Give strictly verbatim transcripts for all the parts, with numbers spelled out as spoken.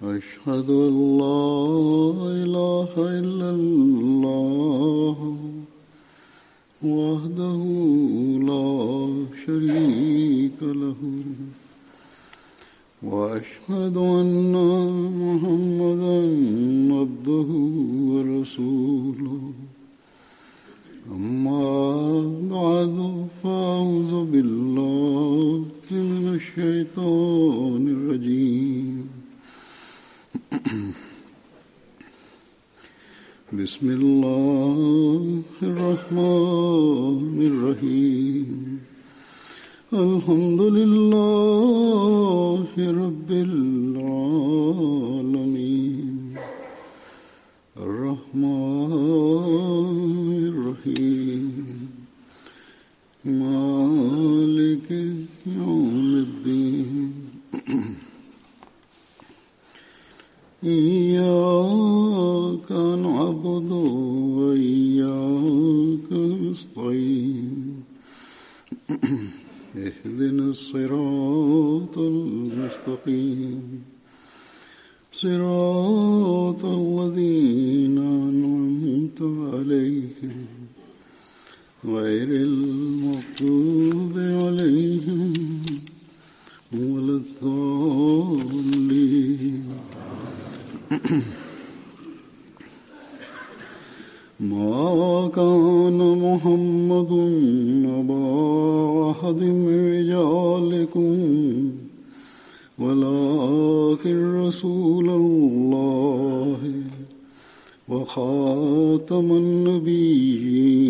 أشهد أن لا إله إلا الله وحده لا شريك له وأشهد أن محمدا عبده ورسوله أما بعد فأعوذ بالله من الشيطان الرجيم بسم الله الرحمن الرحيم الحمد لله رب العالمين الرحمن الرحيم مالك يوم الدين إياك نعبد وإياك نستعين اهدنا الصراط المستقيم صراط الذين أنعمت عليهم غير المغضوب عليهم ولا الضالين ما كان محمد أبا أحد من رجالكم ولكن رسول الله وخاتم النبيين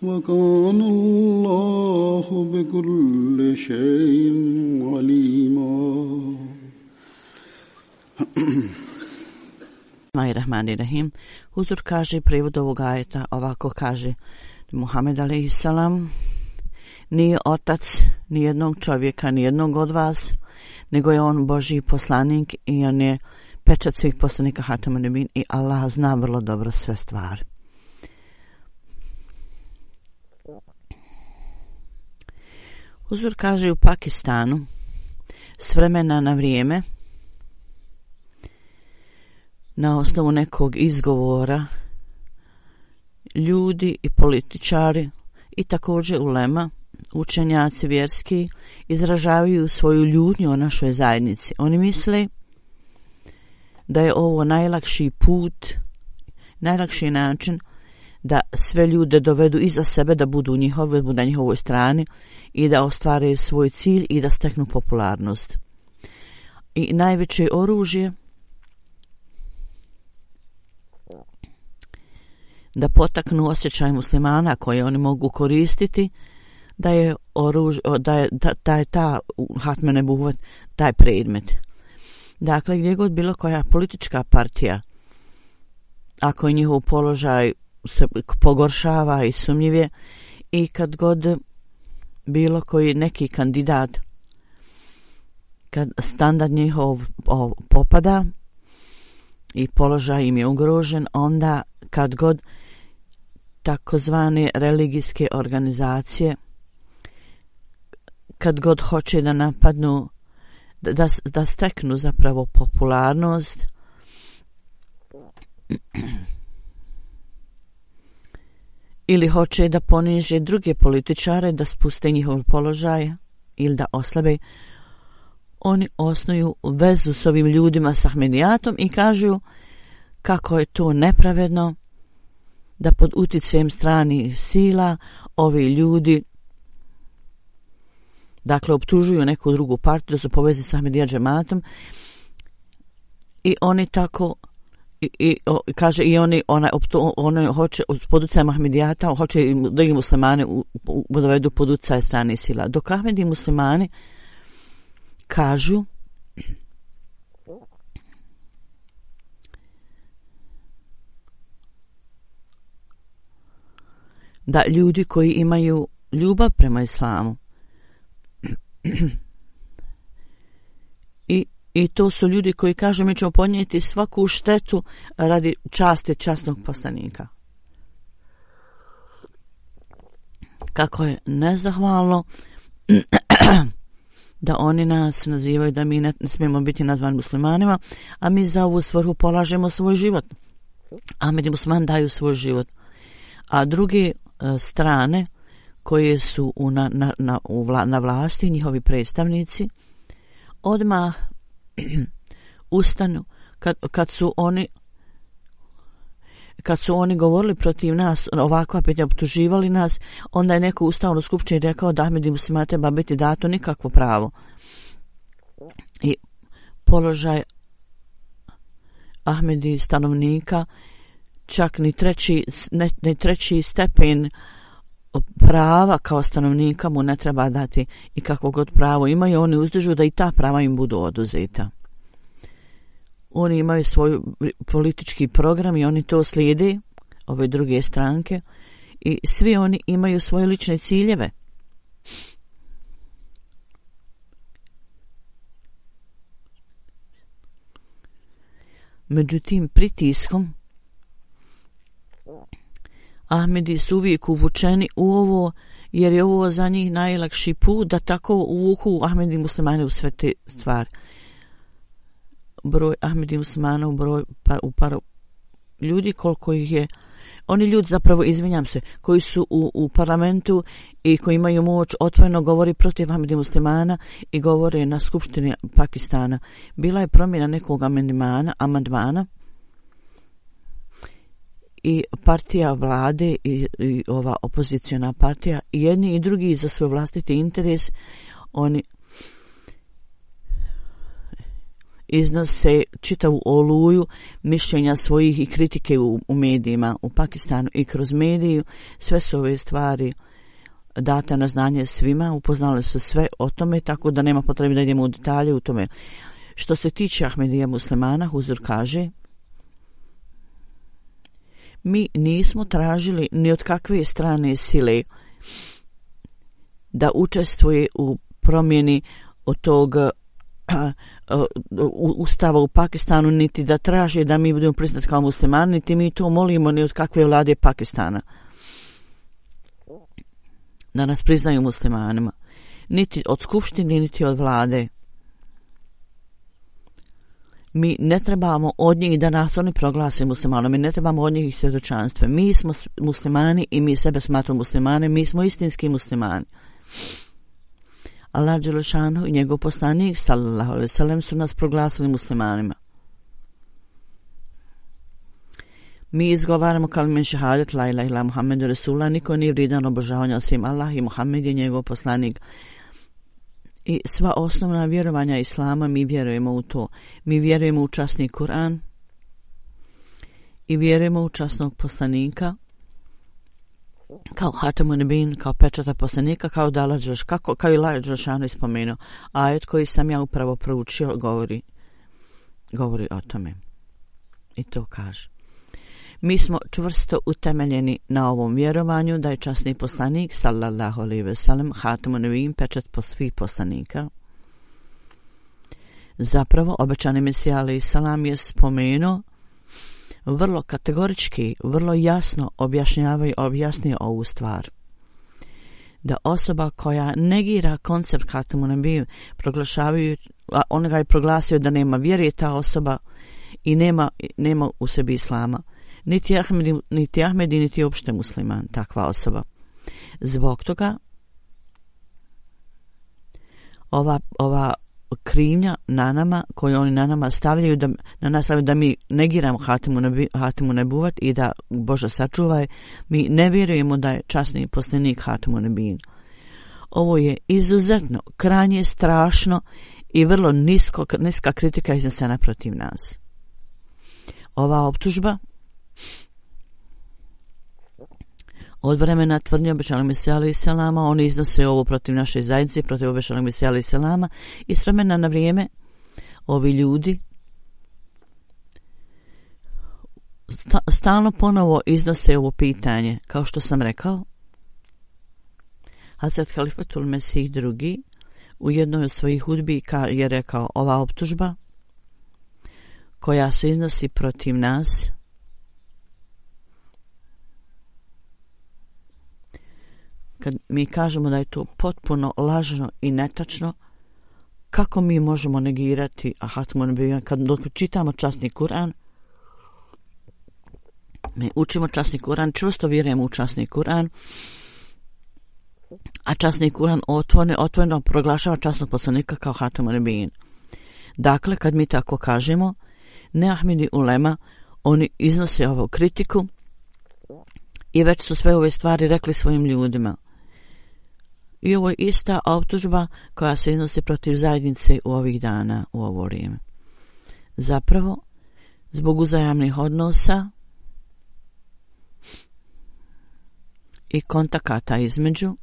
وكان الله بكل شيء عليما. Bismillahirrahmanirrahim. Huzur kaže, prevod ovog ajeta ovako kaže: Muhammed alejhiselam nije otac ni jednog čovjeka, ni jednog od vas, nego je on Božji poslanik i on je pečat svih poslanika Hatamun Nebin i Allah zna vrlo dobro sve stvari. Huzur kaže, u Pakistanu s vremena na vrijeme na osnovu nekog izgovora ljudi i političari i također ulema, učenjaci vjerski izražavaju svoju ljutnju o našoj zajednici. Oni misle da je ovo najlakši put, najlakši način da sve ljude dovedu iza sebe, da budu njihove, budu na njihovoj strani i da ostvare svoj cilj i da steknu popularnost. I najveće oružje da potaknu osjećaj muslimana koje oni mogu koristiti, da je oruž, da je, da, da je ta Hatme Nebuvet, taj predmet. Dakle, gdje god bilo koja politička partija, ako je njihov položaj se pogoršava i sumnjiv, i kad god bilo koji neki kandidat, kad standard njihov o, popada i položaj im je ugrožen, onda kad god takozvane religijske organizacije, kad god hoće da napadnu, da, da steknu zapravo popularnost, ili hoće da poniže druge političare, da spuste njihov položaj ili da oslabe, oni osnuju vezu s ovim ljudima, s Ahmedijatom, i kažu kako je to nepravedno da pod uticajem stranih sila ovi ljudi, dakle, optužuju neku drugu partiju da su povezani s Ahmedija džematom, i oni tako i, i o, kaže i oni ona optu, ono hoće pod uticajem Ahmedijata hoće da ih muslimane u, u, dovedu pod utjecaj stranih sila, dok Ahmedi muslimani kažu da ljudi koji imaju ljubav prema islamu i, i to su ljudi koji kažu mi ćemo podnijeti svaku štetu radi časti časnog poslanika. Kako je nezahvalno da oni nas nazivaju da mi ne, ne smijemo biti nazvani muslimanima, a mi za ovu svrhu polažemo svoj život. Ahmed i musliman daju svoj život. A druge e, strane koje su u, na, na, na, u vla, na vlasti, njihovi predstavnici, odmah ustanu kad, kad su oni kad su oni govorili protiv nas, ovakva pitanja, optuživali nas, onda je neko ustao na skupštini i rekao da Ahmed i muslimana treba biti dato nikakvo pravo. I položaj Ahmedi stanovnika, čak ni treći, ne, ni treći stepen prava kao stanovnika mu ne treba dati i kakvo god pravo imaju, oni uzdižu da i ta prava im budu oduzeta. Oni imaju svoj politički program i oni to slijede, ove druge stranke, i svi oni imaju svoje lične ciljeve. Međutim, pritiskom Ahmedi su uvijek uvučeni u ovo, jer je ovo za njih najlakši put da tako uvuku Ahmedi muslimani u sve te stvari. Broj Ahmedi muslimana u broj par, u par ljudi koliko ih je, oni ljudi zapravo, izvinjam se, koji su u, u parlamentu i koji imaju moć, otvoreno govori protiv Ahmedi muslimana i govore na skupštini Pakistana. Bila je promjena nekog amandmana, amandmana i partija vlade i, i ova opoziciona partija, i jedni i drugi za svoj vlastiti interes, oni iznose čitavu oluju mišljenja svojih i kritike u, u medijima u Pakistanu i kroz mediju. Sve su ove stvari data na znanje svima, upoznali su sve o tome, tako da nema potrebe da idemo u detalje u tome. Što se tiče Ahmedija muslimana, Huzur kaže, mi nismo tražili ni od kakve strane sile da učestvuje u promjeni od tog ustava u Pakistanu, niti da traže da mi budemo priznati kao muslimani, niti mi to molimo ni od kakve vlade Pakistana da nas priznaju muslimanima, niti od skupštine, niti od vlade. Mi ne trebamo od njih da nas oni proglase muslimanom, mi ne trebamo od njih svjedočanstva. Mi smo muslimani i mi sebe smatramo muslimane, mi smo istinski muslimani. Allah dželešanu i njegov poslanik sallallahu alejhi ve sellem su nas proglasili muslimanima. Mi izgovaramo kalime šehadet la ilaha illa Muhammedu Rasulullah, niko nije vrijedan obožavanja osim Allah i Muhammed je njegov poslanik. I sva osnovna vjerovanja Islama, mi vjerujemo u to. Mi vjerujemo u časni Kur'an i vjerujemo u časnog poslanika kao Hatamun Nebin, kao pečata poslanika, kao da lađaš, kako, kao i lađašano ispomenuo. Ajet koji sam ja upravo proučio govori, govori o tome. I to kaže. Mi smo čvrsto utemeljeni na ovom vjerovanju da je časni poslanik sallallahu alejhi ve sellem Hatamun Nebin, pečat po svih poslanika. Zapravo, obećani Mesija alejhi salam je spomenuo vrlo kategorički, vrlo jasno objašnjavaju, objasnio ovu stvar. Da osoba koja negira koncept Hatamun Nebin, proglašavaju, on ga je proglasio da nema vjere, ta osoba i nema, nema u sebi islama. Niti Ahmedi, niti Ahmedi, niti uopšte musliman, takva osoba. Zbog toga ova, ova krivnja na nama, koju oni na nama stavljaju, da, na nas stavljaju da mi negiramo Hatamun Nebuvat i da Bože sačuvaj, mi ne vjerujemo da je časni poslanik Hatamun Nebin. Ovo je izuzetno, krajnje strašno i vrlo nisko, niska kritika iznesena protiv nas. Ova optužba od vremena tvrdnje obećanog Mesija alejhi selama, oni iznose ovo protiv naše zajednice, protiv obećanog Mesija alejhi selama, i s vremena na vrijeme ovi ljudi stalno ponovo iznose ovo pitanje. Kao što sam rekao, Hazret Halifatul Mesih drugi u jednoj od svojih hudbi je rekao, ova optužba koja se iznosi protiv nas kad mi kažemo da je to potpuno lažno i netačno, kako mi možemo negirati Hatmu Nebijan kad dok čitamo časni Kur'an? Mi učimo časni Kur'an, čvrsto vjerujemo u časni Kur'an, a časni Kur'an otvoreno, otvoreno proglašava časnog poslanika kao Hatmu Nebijan. Dakle, kad mi tako kažemo, ne Ahmedi ulema, oni iznose ovu kritiku i već su sve ove stvari rekli svojim ljudima. I ovo je ista optužba koja se iznosi protiv zajednice u ovih dana, u ovo vrijeme. Zapravo, zbog uzajamnih odnosa i kontakata između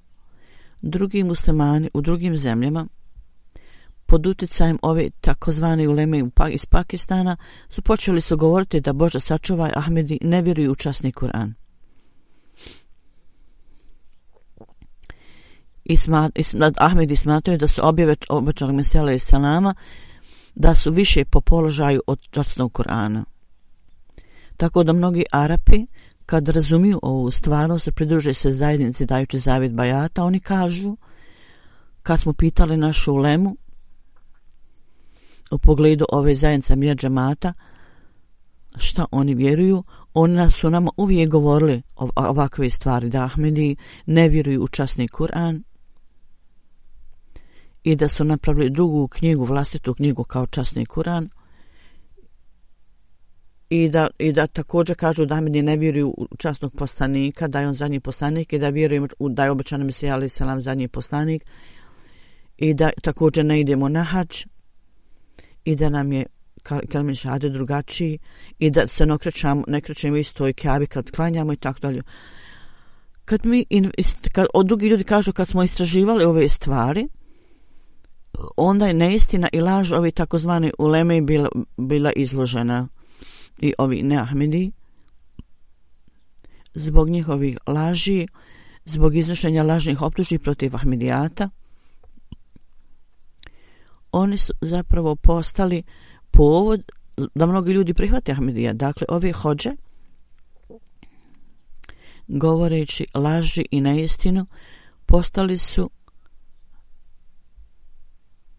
drugi muslimani u drugim zemljama pod utjecajem ove takozvane uleme iz Pakistana su počeli su govoriti da Bože sačuvaj Ahmedi ne vjeruju u časni Kur'an. I smat, i smat, Ahmedi smatraju da su objave obećanog Mesija alejhi selama da su više po položaju od časnog Kur'ana. Tako da mnogi Arapi kad razumiju ovu stvarnost se pridruže se zajednici dajući zavjet bajata, oni kažu, kad smo pitali našu ulemu u pogledu ove zajednice Amija džemata šta oni vjeruju, oni su nama uvijek govorili ovakve stvari, da Ahmedi ne vjeruju u časni Kur'an i da su napravili drugu knjigu, vlastitu knjigu kao časni Kur'an i da, i da također kažu da Ahmedi ne vjeruju u časnog poslanika, da je on zadnji poslanik i da vjeruju da je obećan Mesija alejhi selam zadnji poslanik i da također ne idemo na hadž i da nam je kelime šehade drugačiji i da se ne krećemo, ne krećemo istoj Kjabi kad klanjamo i tako dalje. Kad mi, kad, od drugi ljudi kažu kad smo istraživali ove stvari, onda je neistina i laž ovi takozvani uleme bila, bila izložena i ovi neahmedi zbog njihovih laži, zbog iznošenja lažnih optužbi protiv Ahmedijata. Oni su zapravo postali povod da mnogi ljudi prihvate Ahmedija. Dakle, ove hodže, govoreći laži i neistinu, postali su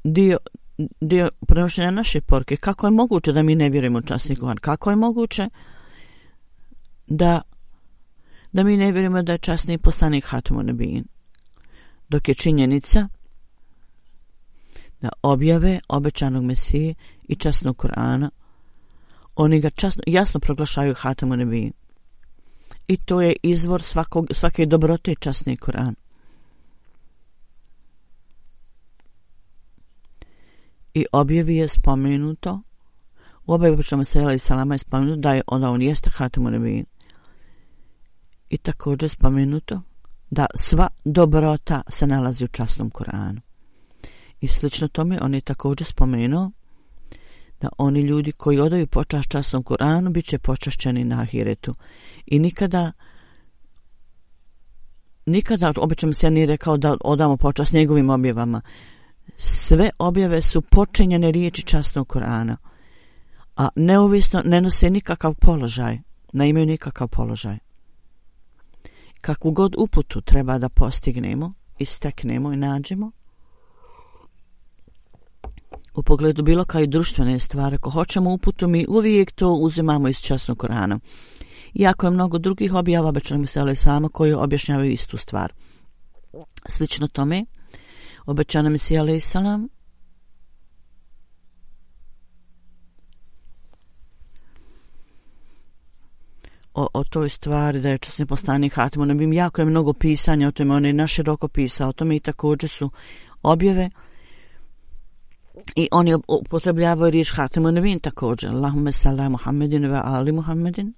dio, dio prenošenja naše poruke. Kako je moguće da mi ne vjerujemo u časni Kur'an? Kako je moguće da, da mi ne vjerujemo da je časni poslanik Hatmu Nebijan? Dok je činjenica da objave obećanog Mesije i časnog Kur'ana, oni ga časno, jasno proglašaju Hatmu Nebijan. I to je izvor svakog, svake dobrote časni Kur'an. I objavi je spomenuto, u objavi obećanog Mesija alejhi selama je spomenuto da je onda on jeste Hatmu Nebijan. I također spomenuto da sva dobrota se nalazi u časnom Kur'anu. I slično tome on je također spomenuo da oni ljudi koji odaju počast časnom Kur'anu bit će počašćeni na ahiretu. I nikada nikada obično se nije rekao da odamo počast njegovim objavama. Sve objave su počinjene riječi časnog Kur'ana, a neovisno ne nose nikakav položaj, ne imaju nikakav položaj. Kakvu god uputu treba da postignemo, isteknemo i nađemo, u pogledu bilo kao i društvene stvari, ako hoćemo uputu, mi uvijek to uzimamo iz časnog Kur'ana. Iako je mnogo drugih objava obećanog Mesija alejhi selama koji objašnjavaju istu stvar. Slično tome, obećanog Mesija alejhi selam o, o toj stvari da je časni poslanik Hatmu Nebijan, jako je mnogo pisanja o tome, on je naširoko pisao o tome i također su objave i oni upotrebljavaju riječ Hatmu Nebijan također. Allahumme salli Muhammedin ve ali Muhammedin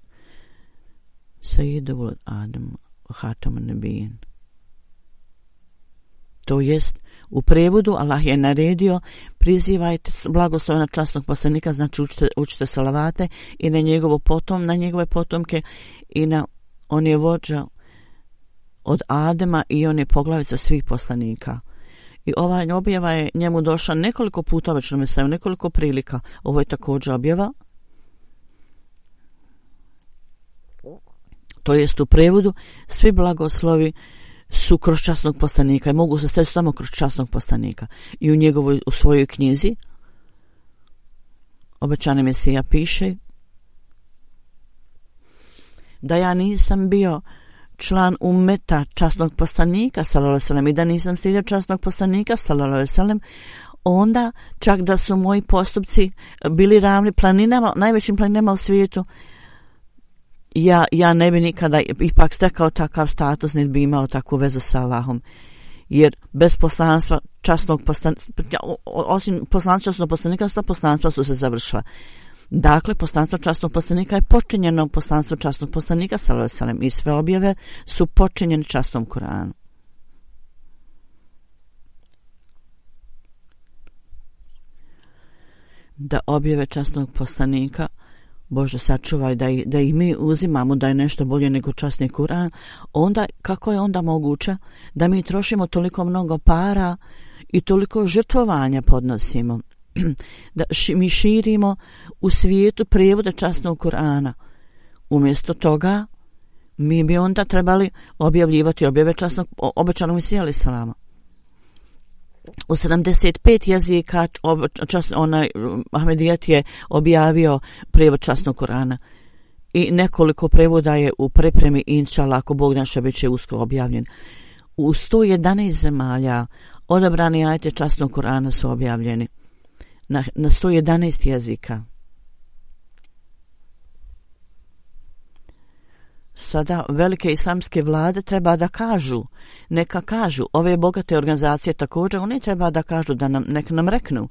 Sayyidu Adam Hatmu Nebijan. To jest, u prevodu Allah je naredio prizivajte blagoslova na časnog poslanika, znači učite, učite salavate i na njegovo potom, na njegove potomke i na on je vođa od Adema i on je poglavica svih poslanika. I ova objava je njemu došla nekoliko puta, već nam je nekoliko prilika. Ovo je također objava. To jest u prevodu svi blagoslovi su kroz časnog poslanika i mogu se steći samo kroz časnog poslanika. I u njegovoj, u svojoj knjizi Obećani Mesija piše da ja nisam bio član umeta časnog poslanika sallallahu alejhi ve sellem i da nisam slijedio časnog poslanika sallallahu alejhi ve sellem, onda čak da su moji postupci bili ravni planinama, najvećim planinama u svijetu, ja, ja ne bi nikada ipak stekao takav status, niti bi imao takvu vezu sa Allahom. Jer bez poslanstva časnog poslanika, osim poslanstva časnog poslanika, sta poslanstva su se završila. Dakle, poslanstvo časnog poslanika je počinjeno poslanstvo časnog poslanika sallallahu alejhi ve sellem i sve objave su počinjene časnom Kur'anu. Da objave časnog poslanika, Bože sačuvaj, da ih, da ih mi uzimamo da je nešto bolje nego časni Kur'an, onda kako je onda moguće da mi trošimo toliko mnogo para i toliko žrtvovanja podnosimo, da ši, mi širimo u svijetu prijevode časnog Kur'ana. Umjesto toga mi bi onda trebali objavljivati objave časnog obećanog Mesija alejhi selama. U sedamdeset pet jezika čas, onaj Ahmedijat je objavio prijevod časnog Kur'ana i nekoliko prevoda je u pripremi, inšallah, ako Bog naša bit će usko objavljen. U sto jedanaest zemalja odabrani ajeti časnog Kur'ana su objavljeni na, na sto jedanaest jezika. Sada velike islamske vlade treba da kažu, neka kažu, ove bogate organizacije također, oni treba da kažu, da nam, nek nam reknu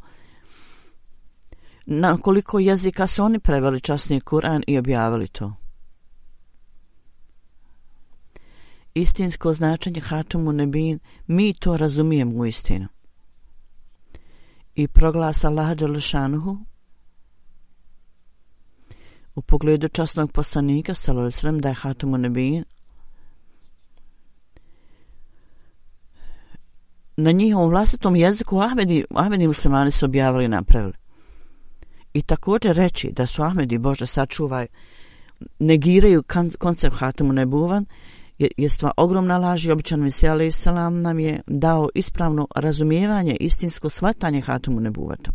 na koliko jezika su oni preveli časni Kur'an i objavili to. Istinsko značenje Hatumu Nebin, mi to razumijemo u istinu. I proglas Allaha dželle šanuhu u pogledu časnog poslanika sallallahu alejhi ve sellem da je Hatumu Nebin, na njihovom vlastitom jeziku Ahmedi, Ahmedi muslimani su objavili i napravili. I također reći da su Ahmedi, Bože sačuvaj, negiraju koncept Hatumu Nebuvan je, je stva ogromna laž i obećani Mesija alejhi selam nam je dao ispravno razumijevanje, istinsko shvatanje Hatumu Nebuvata.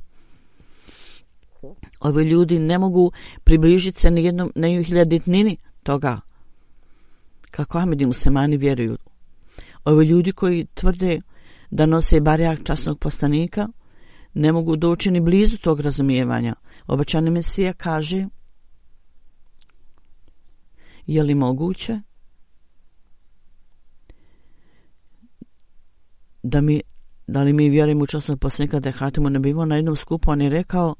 Ovi ljudi ne mogu približiti se nijednom nehiljaditnini toga kako Ahmedi muslimani vjeruju. Ovi ljudi koji tvrde da nose barjak časnog poslanika ne mogu doći ni blizu tog razumijevanja. Obećani Mesija kaže, je li moguće da mi, da li mi vjerujemo u časnog poslanika da je Hatimu Nebin? Na jednom skupu on je rekao,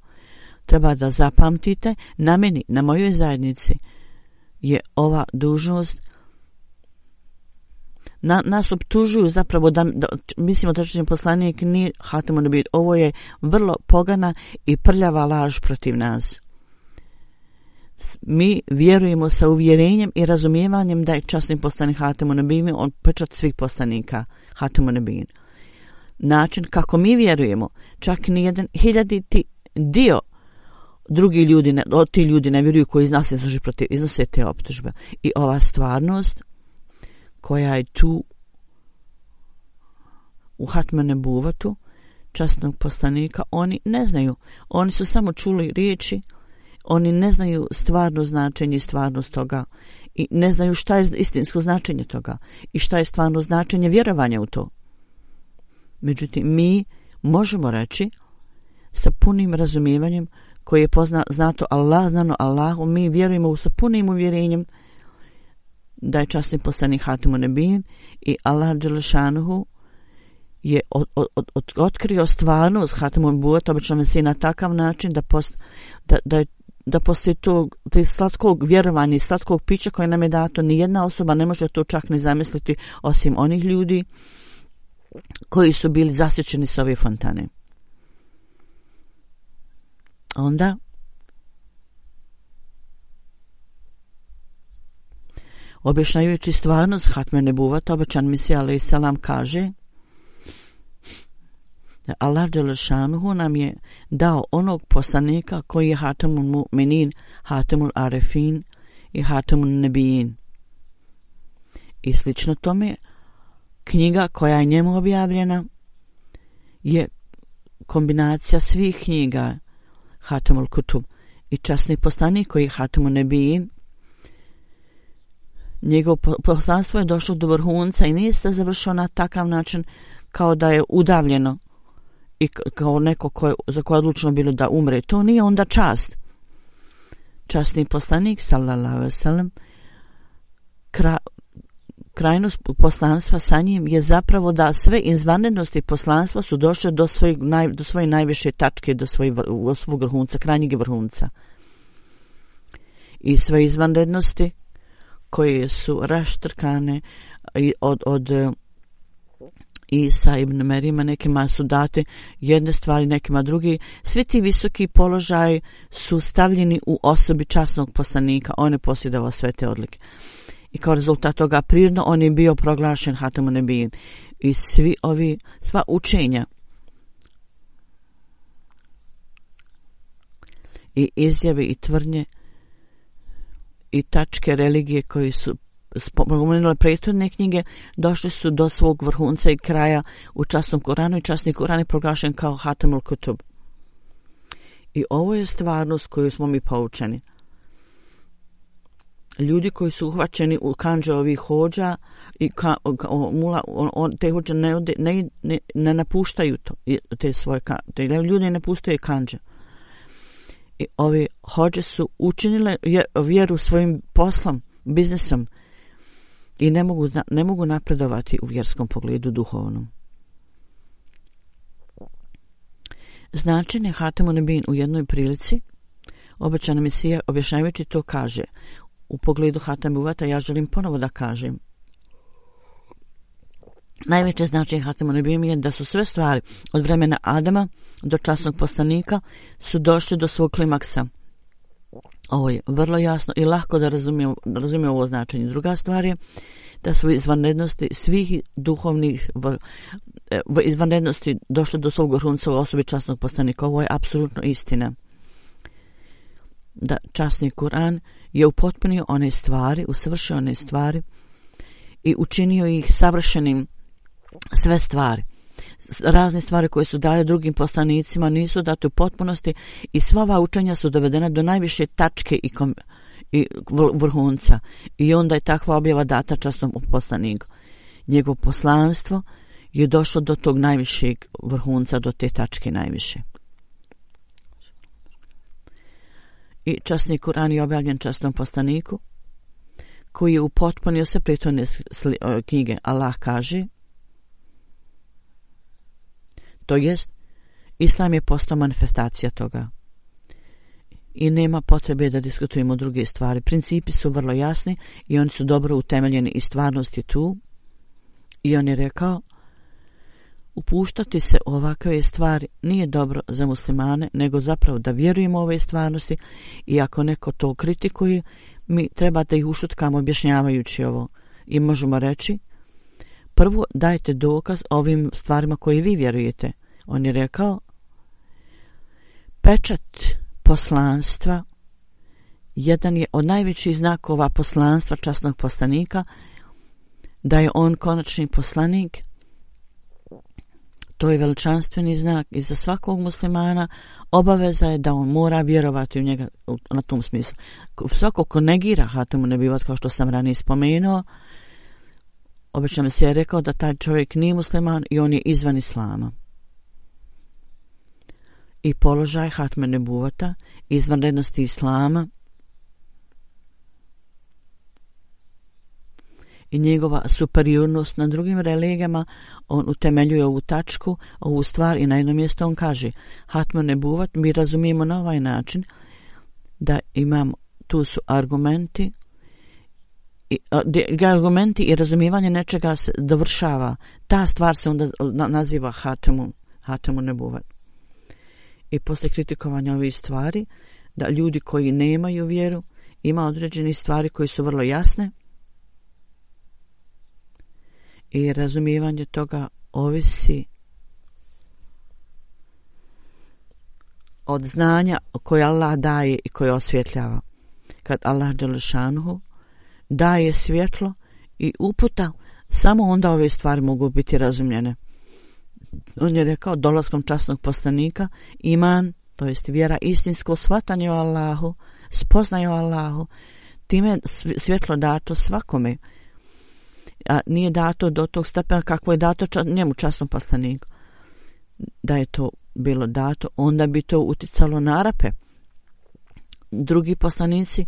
treba da zapamtite, na meni, na mojoj zajednici je ova dužnost. Na, nas optužuju zapravo da, da mislimo da časni poslanik nije Hatimu Nebin. Ovo je vrlo pogana i prljava laž protiv nas. Mi vjerujemo sa uvjerenjem i razumijevanjem da je časni poslanik Hatimu Nebin, on pečat svih poslanika Hatimu Nebin. Način kako mi vjerujemo, čak nijedan hiljaditi dio drugi ljudi, ne, ti ljudi ne vjeruju koji iz nas iznose protiv, iznose te optužbe. I ova stvarnost koja je tu u Hatmu Nebuvatu časnog poslanika, oni ne znaju. Oni su samo čuli riječi, oni ne znaju stvarno značenje i stvarnost toga i ne znaju šta je istinsko značenje toga i šta je stvarno značenje vjerovanja u to. Međutim, mi možemo reći sa punim razumijevanjem koje je pozna, znato Allah, znano Allahu, mi vjerujemo sa punim uvjerenjem da je časni poslanik Hatimu Nebin i Allah dželle šanuhu je od, od, od, otkrio stvarnost Hatimu Nebuvata, obično Mesija na takav način da, post, da, da, da poslije tog slatkog vjerovanja i slatkog pića koje nam je dato, nijedna osoba ne može to čak ni zamisliti osim onih ljudi koji su bili zasjećeni s ove fontane. Onda objašnjavajući stvarnost Hatme Nebuvata, obećan Mesija alejhi selam kaže da Allah dželle šanuhu nam je dao onog poslanika koji je Hatemul Mu'minin, Hatemul Arifin i Hatemul Nebijin. I slično tome knjiga koja je njemu objavljena je kombinacija svih knjiga Hatemul Kutub i časni poslanik koji je Hatemun Nebijin. Njegovo poslanstvo je došlo do vrhunca i nije se završilo na takav način kao da je udavljeno i kao neko koje, za koje je odlučeno bilo da umre. To nije onda čast. Časni poslanik sallallahu alejhi ve sellem kra, krajnost poslanstva sa njim je zapravo da sve izvanrednosti poslanstva su došle do, svoj, naj, do svoje najviše tačke, do svojeg svog vrhunca, krajnjeg vrhunca. I sve izvanrednosti koje su raštrkane od, od Isa ibn Merima, nekima su date jedne stvari, nekima drugi. Svi ti visoki položaji su stavljeni u osobi časnog poslanika. On je posjedovao sve te odlike. I kao rezultat toga prirodno on je bio proglašen Hatemun Nebijin. I svi ovi, sva učenja i izjave i tvrdnje i tačke religije koji su spomenule prethodne knjige došli su do svog vrhunca i kraja u časnom Koranu i časni Koran je proglašen kao Hatemul Kutub. I ovo je stvarnost koju smo mi poučeni. Ljudi koji su uhvaćeni u kandže ovih hođa i ka, o, mula, on, on, te hođe ne, ne, ne, ne napuštaju to, te svoje te ljudi ne napuštaju kandže. I ovi hođe su učinile vjeru svojim poslom, biznisom i ne mogu, ne mogu napredovati u vjerskom pogledu duhovnom. Značenje Hatemun Nebijin u jednoj prilici obećana Mesija objašnjavajući to kaže u pogledu Hatem Uvata ja želim ponovo da kažem. Najveće značenje Hatemun Nebijin je da su sve stvari od vremena Adama do časnog poslanika su došli do svog klimaksa. Ovo je vrlo jasno i lako da razumije, da razumije ovo značenje. Druga stvar je da su izvanrednosti svih duhovnih izvanrednosti došle do svog vrhunca u osobi časnog poslanika. Ovo je apsolutno istina. Da časni Kur'an je upotpunio one stvari, usavršio one stvari i učinio ih savršenim sve stvari. Razne stvari koje su dali drugim poslanicima nisu date u potpunosti i sva ova učenja su dovedena do najviše tačke i, kom, i vrhunca. I onda je takva objava data časnom poslaniku. Njegovo poslanstvo je došlo do tog najvišeg vrhunca, do te tačke najviše. I časni Kur'an je objavljen časnom poslaniku koji je upotpunio sve prethodne knjige. Allah kaže, to jest, Islam je postao manifestacija toga. I nema potrebe da diskutujemo o druge stvari. Principi su vrlo jasni i oni su dobro utemeljeni i stvarnost je tu. I on je rekao, upuštati se u ovakve stvari nije dobro za muslimane, nego zapravo da vjerujemo u ove stvarnosti i ako neko to kritikuje, mi treba da ih ušutkamo objašnjavajući ovo. I možemo reći, prvo dajte dokaz ovim stvarima koje vi vjerujete. On je rekao, pečat poslanstva jedan je od najvećih znakova poslanstva časnog poslanika, da je on konačni poslanik. To je veličanstveni znak i za svakog muslimana obaveza je da on mora vjerovati u njega na tom smislu. Svako ko negira Hatemun Nebijin, kao što sam ranije spomenuo, obično se je rekao da taj čovjek nije musliman i on je izvan islama. I položaj Hatemun Nebuvata, izvanrednosti islama i njegova superiornost na drugim religijama, on utemeljuje ovu tačku, ovu stvar i na jednom mjestu on kaže Hatemun Nebuvat mi razumijemo na ovaj način da imam, tu su argumenti i, argumenti i razumijevanje nečega se dovršava. Ta stvar se onda naziva Hatemun, Hatemun Nebuvat. I poslije kritikovanja ovih stvari, da ljudi koji nemaju vjeru, ima određene stvari koje su vrlo jasne i razumijevanje toga ovisi od znanja koje Allah daje i koje osvjetljava. Kad Allah dželešanuhu daje svjetlo i uputa, Samo onda ove stvari mogu biti razumljene. On je rekao, dolaskom časnog poslanika, iman, to jest vjera, istinsko shvatanje o Allahu, spoznaje o Allahu, time je svjetlo dato svakome, a nije dato do tog stepena kako je dato čas, njemu časnom poslaniku. Da je to bilo dato, onda bi to uticalo na Arape. Drugi poslanici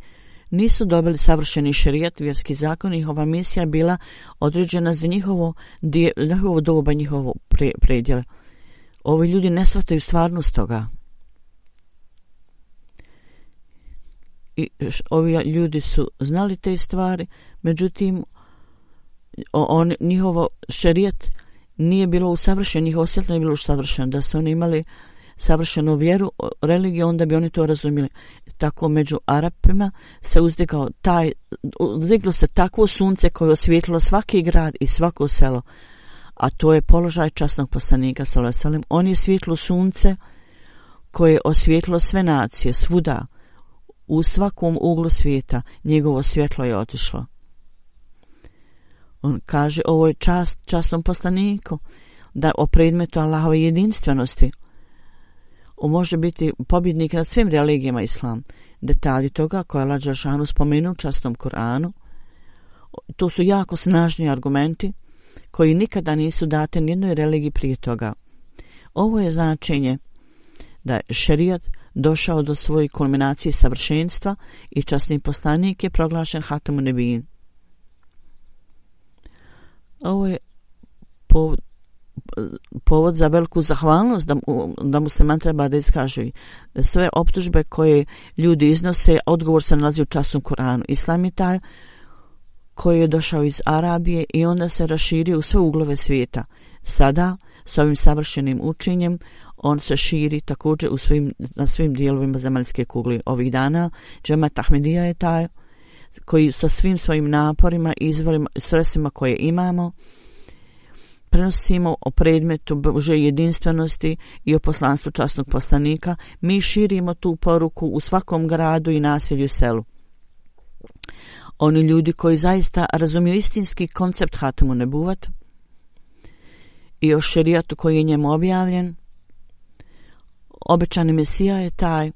nisu dobili savršeni šerijat, vjerski zakon, njihova misija bila određena za njihovo, dje, njihovo doba, njihovo pre, predjele. Ovi ljudi ne shvataju stvarnost toga. I ovi ljudi su znali te stvari, međutim, on, njihovo šerijat nije bilo usavršeno, njihovo svjetlo nije bilo usavršeno. Da su oni imali savršenu vjeru, religiju, onda bi oni to razumjeli. Tako među Arapima se uzdigao taj, uzdiglo se takvo sunce koje osvijetlilo svaki grad i svako selo, a to je položaj časnog poslanika sallallahu alejhi ve sellem. On je svjetlo sunce koje je osvijetlilo sve nacije, svuda, u svakom uglu svijeta, njegovo svjetlo je otišlo. On kaže, ovo je čast časnom poslaniku, da o predmetu Allahove jedinstvenosti on može biti pobjednik nad svim religijama islam. Detalji toga koje Allah dželešanu spomenuo u časnom Kur'anu, to su jako snažni argumenti koji nikada nisu date nijednoj religiji prije toga. Ovo je značenje da je šerijat došao do svoje kulminacije savršenstva i časni poslanik je proglašen Hatamun Nebijin. Ovo je povod, povod za veliku zahvalnost da, da musliman treba da iskaže sve optužbe koje ljudi iznose, odgovor se nalazi u časnom Kur'anu. Islam je taj koji je došao iz Arabije i onda se raširio u sve uglove svijeta. Sada, s ovim savršenim učenjem, on se širi također u svim, na svim dijelovima zemaljske kugle. Ovih dana džemat Ahmedija je taj koji sa svim svojim naporima i izvorima, sredstvima koje imamo, prenosimo o predmetu Božje jedinstvenosti i o poslanstvu časnog poslanika. Mi širimo tu poruku u svakom gradu i naselju i selu. Oni ljudi koji zaista razumiju istinski koncept Hatamu Nebuvat i o šerijatu koji je njemu objavljen, obećani Mesija je taj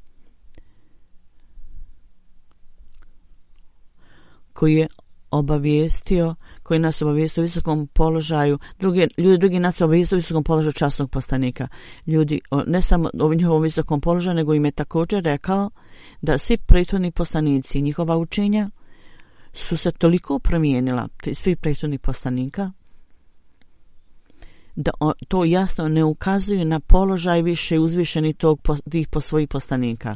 koji je obavijestio, koji nas obavijestio u visokom položaju, drugi, ljudi drugi nas obavijestio u visokom položaju časnog poslanika. Ljudi ne samo u njihovom visokom položaju, nego im je također rekao da svi prethodni poslanici i njihova učenja su se toliko promijenila, svi prethodni poslanika, da to jasno ne ukazuju na položaj više uzvišeni tog, tih po svojih poslanika.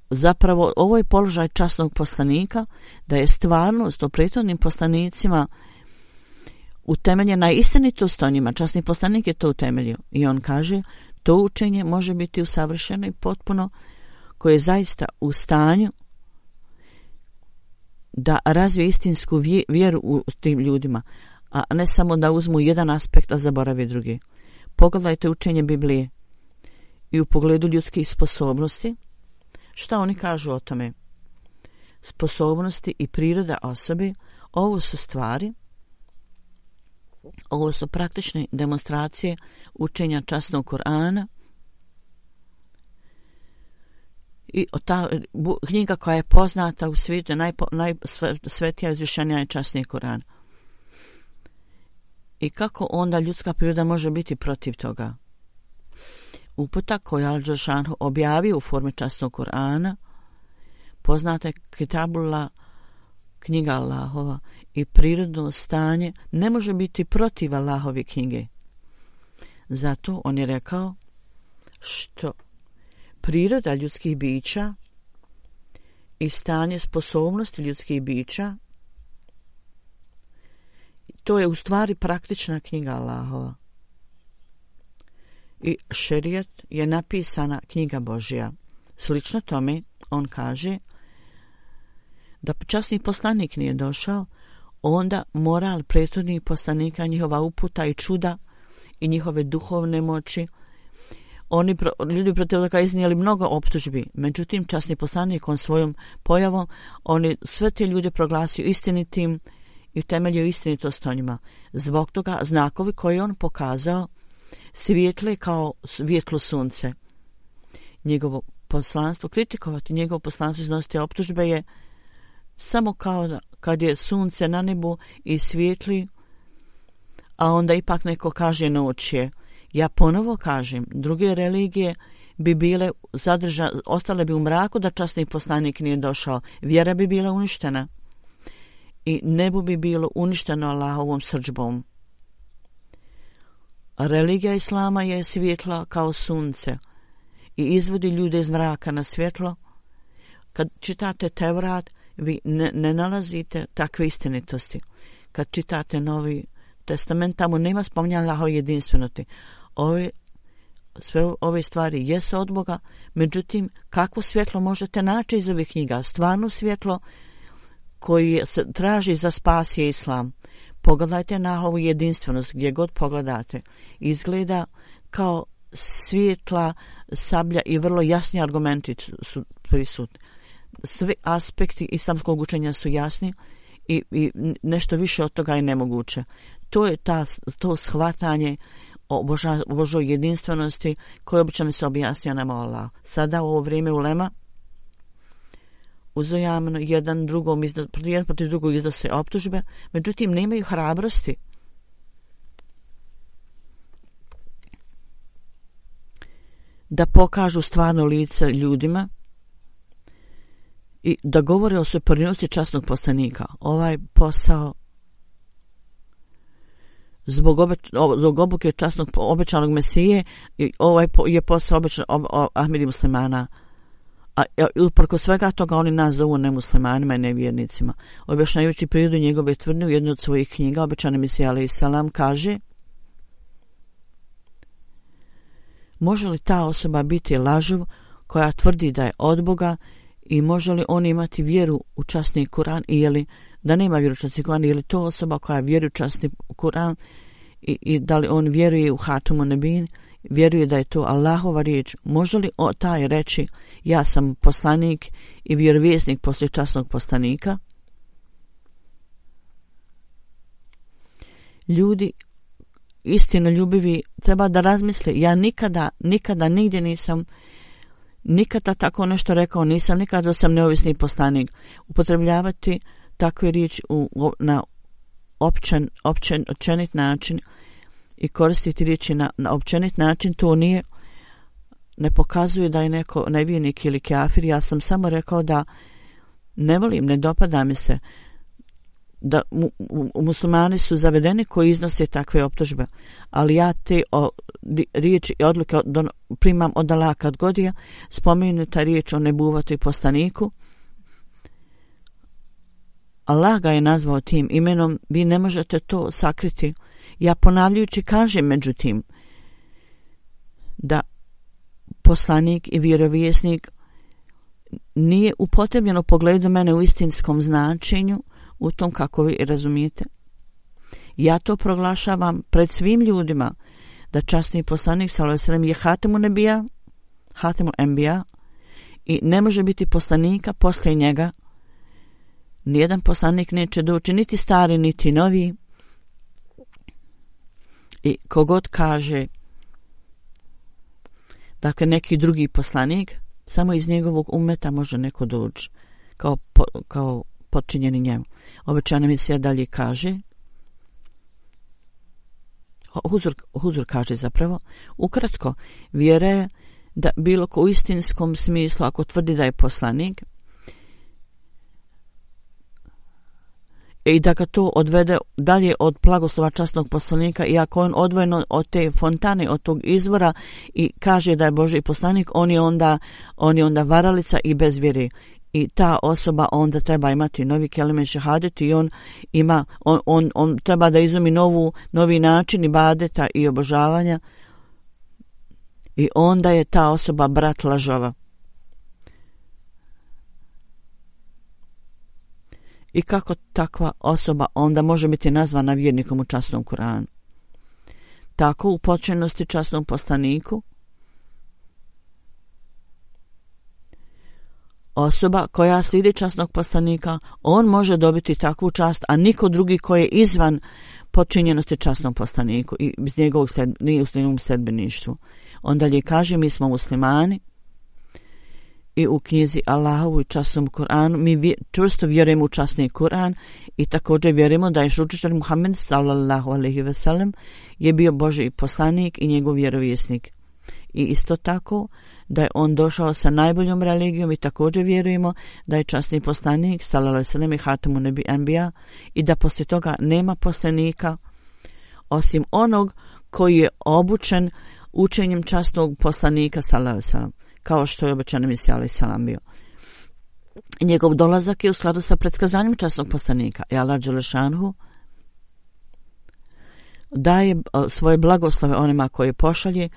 Zapravo, ovo je položaj časnog poslanika, da je stvarnost o prethodnim poslanicima utemeljena istinitost o njima. Časni poslanik je to utemeljio. I on kaže, to učenje može biti usavršeno i potpuno, koje je zaista u stanju da razvije istinsku vjeru u tim ljudima, a ne samo da uzmu jedan aspekt, a zaboravi drugi. Pogledajte učenje Biblije i u pogledu ljudskih sposobnosti. Šta oni kažu o tome? Sposobnosti i priroda osobe, ovo su stvari, ovo su praktične demonstracije učenja časnog Kur'ana i ta knjiga koja je poznata u svijetu, najsvetija, izvišenija je časni Kur'an. I kako onda ljudska priroda može biti protiv toga? Uputa koju Al Dželešanu objavio u formi časnog Kur'ana, poznate Kitabullah, knjiga Allahova, i prirodno stanje ne može biti protiv Allahove knjige. Zato on je rekao što priroda ljudskih bića i stanje sposobnosti ljudskih bića, to je u stvari praktična knjiga Allahova. I šerijat je napisana knjiga Božja. Slično tome, on kaže da časni poslanik nije došao, onda moral prethodnih poslanika, njihova uputa i čuda i njihove duhovne moći, oni ljudi protiv toga iznijeli mnogo optužbi. Međutim, časni poslanik on svojom pojavom, oni sve te ljude proglasio istinitim i utemeljio istinitost o njima. Zbog toga znakovi koje on pokazao svijetle kao svjetlo sunce. Njegovo poslanstvo, kritikovati njegovo poslanstvo, iznositi optužbe je samo kao da, kad je sunce na nebu i svijetli, a onda ipak neko kaže noć je. Ja ponovo kažem, druge religije bi bile zadržane, ostale bi u mraku da časni poslanik nije došao. Vjera bi bila uništena i nebo bi bilo uništeno Allahovom srdžbom. Religija Islama je svjetla kao sunce i izvodi ljude iz mraka na svjetlo. Kad čitate Tevrat, vi ne, ne nalazite takve istinitosti. Kad čitate Novi Testament, tamo nema spominjanja Allahove jedinstvenosti. Ove, sve ove stvari jesu od Boga, međutim, kakvo svjetlo možete naći iz ovih knjiga? Stvarno svjetlo koji se traži za spas je Islam. Pogledajte na Allahovu jedinstvenost, gdje god pogledate. Izgleda kao svjetla sablja i vrlo jasni argumenti su prisutni. Svi aspekti islamskog učenja su jasni i, i nešto više od toga je nemoguće. To je ta, to shvatanje o Boža, Božoj jedinstvenosti koje obično se objasnja nama Allah. Sada u ovo vrijeme ulema uzajamno jedan drugom izda, jedan protiv drugog iznose optužbe, međutim nemaju hrabrosti da pokažu stvarno lice ljudima i da govore o superiornosti časnog poslanika. Ovaj posao zbog, obeč, zbog obuke časnog obećanog Mesije, ovaj je posao obećan Ahmedi muslimana. A uprko svega toga oni nas zovu nemuslimanima i nevjernicima. Objašnjavajući prirodu njegove tvrdnje u jednoj od svojih knjiga, obećani Mesija alejhi selam kaže: može li ta osoba biti lažov koja tvrdi da je od Boga i može li on imati vjeru u časni Kur'an i je li da nema vjeru u časni Kur'an, je li to osoba koja vjeruje u časni Kur'an i, i da li on vjeruje u Hatamun Nebin, vjeruje da je to Allahova riječ? Može li o taj reći ja sam poslanik i vjerovjesnik poslije časnog poslanika? Ljudi istinoljubivi treba da razmisle. Ja nikada, nikada nigdje nisam nikada tako nešto rekao, nisam nikada sam neovisni poslanik. Upotrebljavati takve riječi u, na općen, općen, općenit način i koristiti riječi na, na općenit način, to nije, ne pokazuje da je neko nevjernik ili kafir. Ja sam samo rekao da ne volim, ne dopada mi se da mu, mu, muslimani su zavedeni koji iznose takve optužbe, ali ja te o, riječi i odluke od, primam od Allaha kad god je spomenuta riječ o nebuvatu i poslaniku. Allah ga je nazvao tim imenom, vi ne možete to sakriti. Ja ponavljajući kažem međutim da poslanik i vjerovjesnik nije upotrebljen u pogledu mene u istinskom značenju, u tom kako vi razumijete. Ja to proglašavam pred svim ljudima da časni poslanik sallallahu alejhi ve sellem je Hatamun Nebija, Hatamun Enbija i ne može biti poslanika poslije njega. Nijedan poslanik neće doći, niti stari, niti novi. I kogod kaže dakle neki drugi poslanik, samo iz njegovog umeta može neko doći kao, po, kao podčinjeni njemu. Obećana Mesija dalje kaže, Huzur, Huzur kaže zapravo, ukratko, vjera je da bilo ko u istinskom smislu, ako tvrdi da je poslanik, i da ga to odvede dalje od blagoslova časnog poslanika, i ako on odvojeno od te fontane, od tog izvora i kaže da je Božji poslanik, on je onda, on je onda varalica i bez vjere. I ta osoba onda treba imati novi kelimet šehadet i on ima, on, on, on treba da izumi novu, novi način ibadeta i obožavanja i onda je ta osoba brat lažova. I kako takva osoba onda može biti nazvana vjernikom u časnom Kur'anu? Tako u početnosti časnom poslaniku osoba koja slijedi časnog poslanika, on može dobiti takvu čast, a niko drugi koji je izvan počinjenosti časnom poslaniku i iz njegovog sed, nije u njegovom sedbeništvu. Onda li kaže, mi smo muslimani i u knjizi Allahovu i časnom Kur'anu mi vje, čvrsto vjerujemo u časni Kur'an i također vjerujemo da je učitelj Muhammed sallallahu alejhi ve sellem je bio Božji poslanik i njegov vjerovjesnik. I isto tako da je on došao sa najboljom religijom i također vjerujemo da je časni poslanik sallallahu alejhi ve sellem i hatamun nebi enbija i da poslije toga nema poslanika osim onog koji je obučen učenjem časnog poslanika sallallahu alejhi ve sellem, kao što je obećani Mesija alejhi selam bio. Njegov dolazak je u skladu sa predskazanjem časnog poslanika i Allah dželešanhu daje svoje blagoslove onima koji pošalje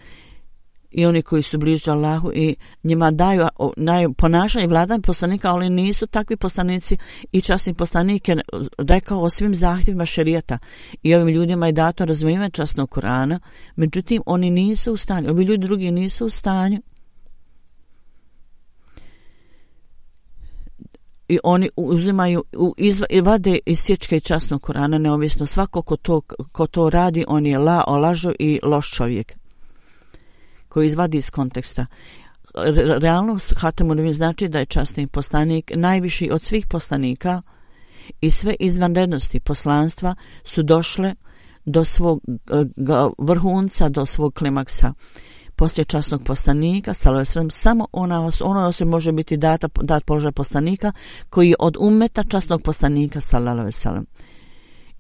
i oni koji su bliži Allahu i njima daju, daju ponašanje vladanje poslanika, ali nisu takvi poslanici i časni poslanik je rekao o svim zahtjevima šerijata i ovim ljudima je dato razumijevanje časnog Kur'ana, međutim oni nisu u stanju, ovi ljudi drugi nisu u stanju i oni uzimaju izva, i vade iz sječke časnog Kur'ana neovisno svako ko to, ko to radi on je la, olažo i loš čovjek koji izvadi iz konteksta. Realno hatamun nebi znači da je časni poslanik najviši od svih poslanika i sve izvanrednosti poslanstva su došle do svog vrhunca, do svog klimaksa. Poslije časnog poslanika sallallahu alejhi ve sellem samo ona os, ona osoba može biti data dat položaj poslanika koji je od ummeta časnog poslanika sallallahu alejhi ve sellem.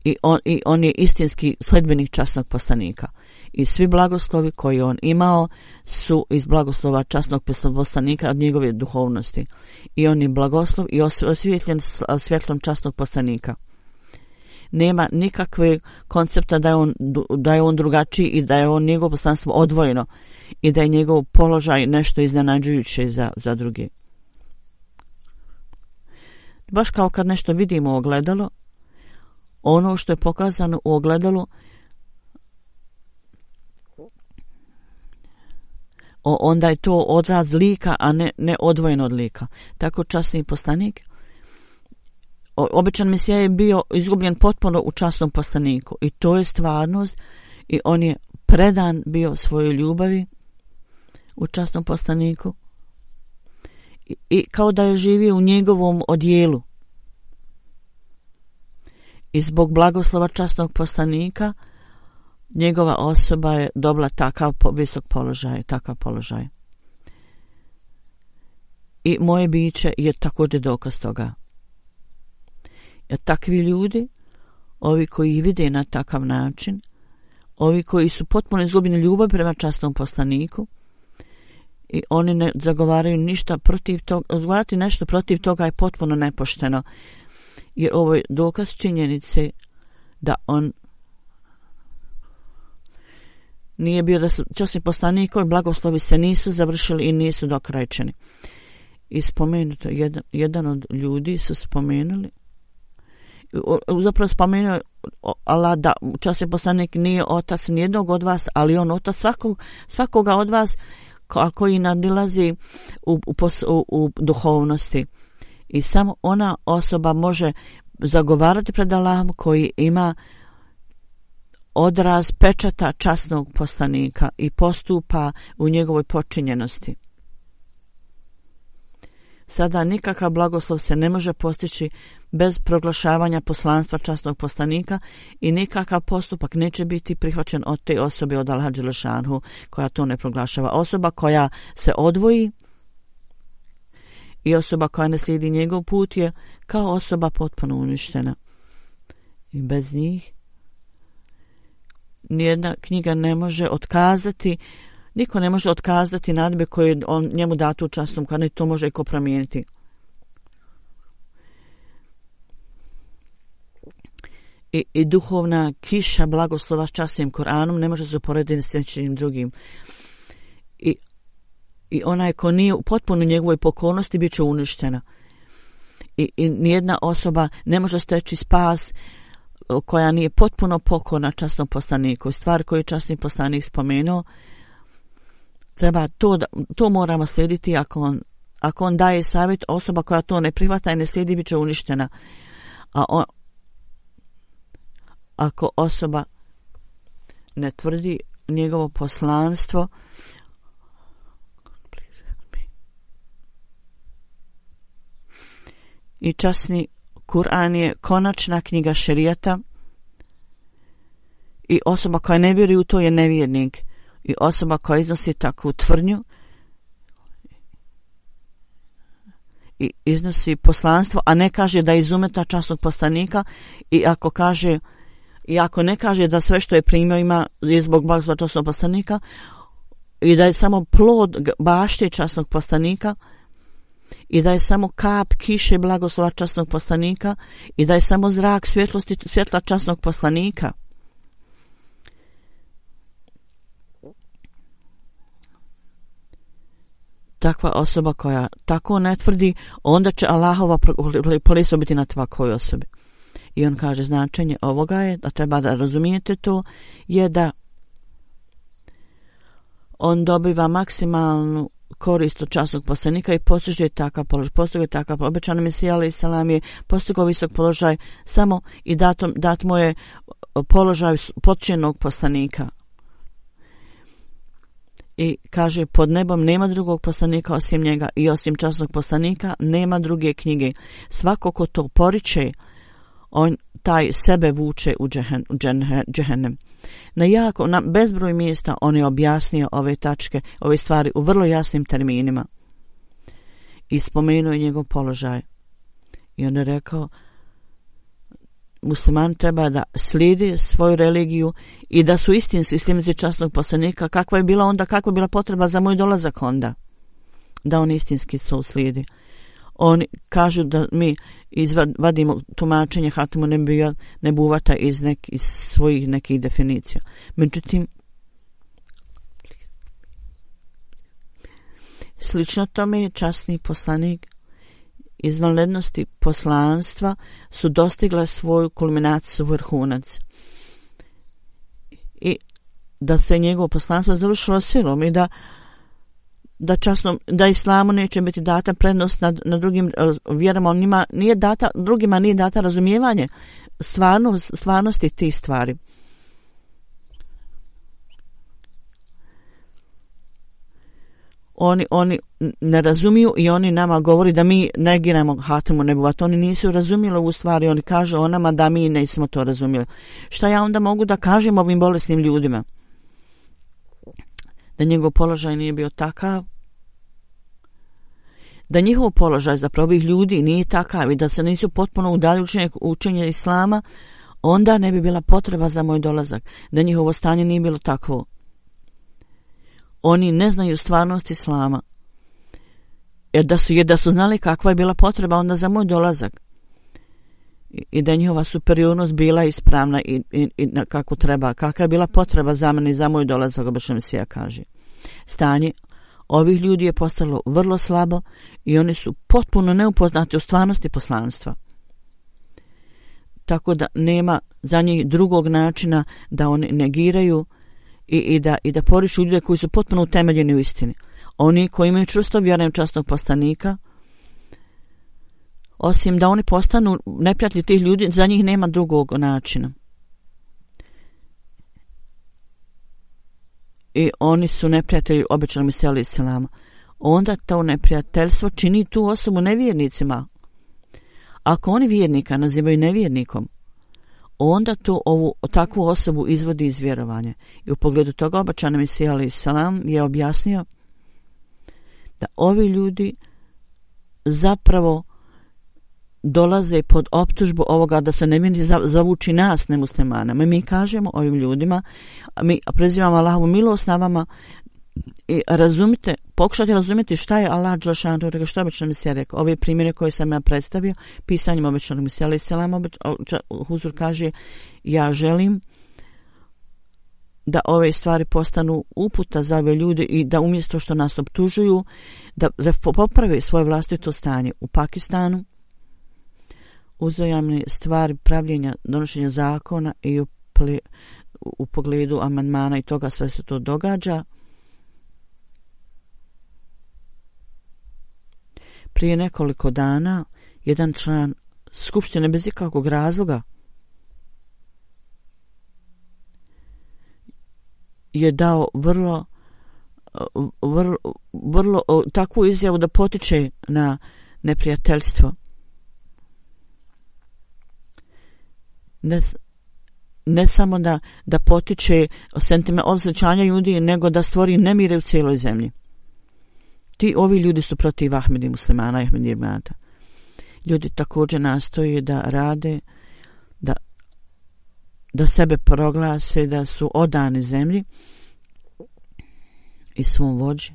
I on, i on je istinski sledbenik časnog poslanika. I svi blagoslovi koji on imao su iz blagoslova časnog poslanika od njegove duhovnosti. I on je blagoslov i osvjetljen svjetlom časnog poslanika. Nema nikakve koncepta da je on, da je on drugačiji i da je on njegovo poslanstvo odvojeno i da je njegov položaj nešto iznenađujuće za, za druge. Baš kao kad nešto vidimo u ogledalu, ono što je pokazano u ogledalu onda je to odraz lika, a ne, ne odvojeno od lika. Tako časni poslanik, obećan Mesija je bio izgubljen potpuno u časnom poslaniku i to je stvarnost i on je predan bio svojoj ljubavi u časnom poslaniku i, i kao da je živio u njegovom odjelu. I zbog blagoslova časnog poslanika njegova osoba je dobila takav visok položaj, takav položaj. I moje biće je također dokaz toga. Jer takvi ljudi, ovi koji ih vide na takav način, ovi koji su potpuno izgubljeni ljubav prema časnom poslaniku i oni ne zagovaraju ništa protiv toga, zagovarati nešto protiv toga je potpuno nepošteno. Jer ovo je dokaz činjenice da on nije bio da su časni poslanikovi blagoslovi se nisu završili i nisu dokrajčeni. I spomenuto, jedan, jedan od ljudi su spomenuli, zapravo spomenuo Allah da časni poslanik nije otac nijednog od vas, ali on otac svakog, svakoga od vas koji nadilazi u, u, u, u duhovnosti. I samo ona osoba može zagovarati pred Allahom koji ima odraz pečata časnog poslanika i postupa u njegovoj počinjenosti. Sada nikakav blagoslov se ne može postići bez proglašavanja poslanstva časnog poslanika i nikakav postupak neće biti prihvaćen od te osobe, od Allaha dželešanhu koja to ne proglašava. Osoba koja se odvoji i osoba koja ne slijedi njegov put je kao osoba potpuno uništena. I bez njih nijedna knjiga ne može otkazati, niko ne može otkazati nadbe koje on njemu datu u časnom, kad ne to može i ko promijeniti. I, i duhovna kiša blagoslova s časnim Koranom ne može se uporediti s nečim drugim. I, i onaj ko nije u potpuno njegovoj pokornosti bit će uništena. I, i nijedna osoba ne može steći spas koja nije potpuno pokorna časnom poslaniku. Stvar koju je časni poslanik spomenuo, treba to, da, to moramo slijediti ako on ako on daje savjet, osoba koja to ne prihvata i ne slijedi bit će uništena. A on, ako osoba ne tvrdi njegovo poslanstvo, i časni Kur'an je konačna knjiga šerijata i osoba koja ne vjeruje u to je nevjernik i osoba koja iznosi takvu tvrdnju i iznosi poslanstvo, a ne kaže da je iz umeta časnog poslanika i ako kaže i ako ne kaže da sve što je primio ima je zbog blagoslova časnog poslanika i da je samo plod bašte časnog poslanika i da je samo kap kiše blagoslova časnog poslanika i da je samo zrak svjetlosti svjetla časnog poslanika. Takva osoba koja tako ne tvrdi, onda će Allahova prokletstvo biti na takvoj osobi. I on kaže značenje ovoga je, da treba da razumijete to, je da on dobiva maksimalnu korist od časnog poslanika i postiže takav položaj. Postiže takav obećani Mesija alejhi selam je postigao visok položaj samo i datom, dat mu je položaj potčenog poslanika. I kaže, pod nebom nema drugog poslanika osim njega i osim časnog poslanika nema druge knjige. Svako ko to poriče, on taj sebe vuče u džehen, džehennem. Na jako, na bezbroj mjesta on je objasnio ove tačke, ove stvari u vrlo jasnim terminima. I spomenuo je njegov položaj. I on je rekao, musliman treba da slijedi svoju religiju i da su istinski sljedbenici časnog poslanika. Kakva je bila onda, kakva je bila potreba za moj dolazak onda? Da on istinski to slijedi. Oni kažu da mi izvadimo tumačenje Hatimu Nebuvata iz, nek, iz svojih nekih definicija. Međutim, slično tome je časni poslanik izvanrednosti poslanstva su dostigla svoju kulminaciju, vrhunac. I da se njegovo poslanstvo završilo silom i da da časno, da islamu neće biti data prednost nad, nad drugim vjerama, on njima nije data, drugima nije data razumijevanje stvarno, stvarnosti tih stvari. Oni, oni ne razumiju i oni nama govori da mi negiramo Hatimu Nebuvat. Oni nisu razumjeli u stvari, oni kažu o nama da mi nismo to razumjeli. Šta ja onda mogu da kažem ovim bolesnim ljudima? Da njegov položaj nije bio takav, da njihov položaj zapravo ovih ljudi nije takav i da se nisu potpuno udalji učenje, učenje islama, onda ne bi bila potreba za moj dolazak, da njihovo stanje nije bilo takvo. Oni ne znaju stvarnost islama. Jer da su, jer da su znali kakva je bila potreba onda za moj dolazak i, i da njihova superiornost bila ispravna i, i, i kako treba, kakva je bila potreba za mene i za moj dolazak, obično Mesija kaže. Stanje ovih ljudi je postalo vrlo slabo i oni su potpuno neupoznati u stvarnosti poslanstva. Tako da nema za njih drugog načina da oni negiraju i, i da, i da poriču ljude koji su potpuno utemeljeni u istini. Oni koji imaju čvrsto vjerujem časnog poslanika, osim da oni postanu neprijatelji tih ljudi, za njih nema drugog načina. I oni su neprijatelji obećanog Mesija alejhi selama. Onda to neprijateljstvo čini tu osobu nevjernicima. Ako oni vjernika nazivaju nevjernikom, onda to ovu takvu osobu izvodi iz vjerovanja. I u pogledu toga obećani Mesija alejhi selam je objasnio da ovi ljudi zapravo dolaze pod optužbu ovoga da se nevjerni zavuči nas, nemuslimana. Mi, mi kažemo ovim ljudima, mi prezivamo Allahovu milost na vama i razumite, pokušajte razumjeti šta je Allah dželešanu rekao, što je obećani Mesija rekao. Ove primjere koje sam ja predstavio, pisanjem obećanog Mesija alejhi selam, Huzur kaže, ja želim da ove stvari postanu uputa za ove ljude i da umjesto što nas optužuju, da, da poprave svoje vlastito stanje u Pakistanu, uzajamne stvari pravljenja, donošenja zakona i u, ple, u, u pogledu amandmana i toga sve se to događa. Prije nekoliko dana jedan član skupštine bez ikakvog razloga je dao vrlo, vrlo, vrlo takvu izjavu da potiče na neprijateljstvo. Ne, ne samo da, da potiče sentiment osjećanja ljudi, nego da stvori nemire u cijeloj zemlji. Ti ovi ljudi su protiv Ahmedi muslimana i Ahmedi jemata. Ljudi također nastoje da rade, da, da sebe proglase, da su odani zemlji i svom vođi.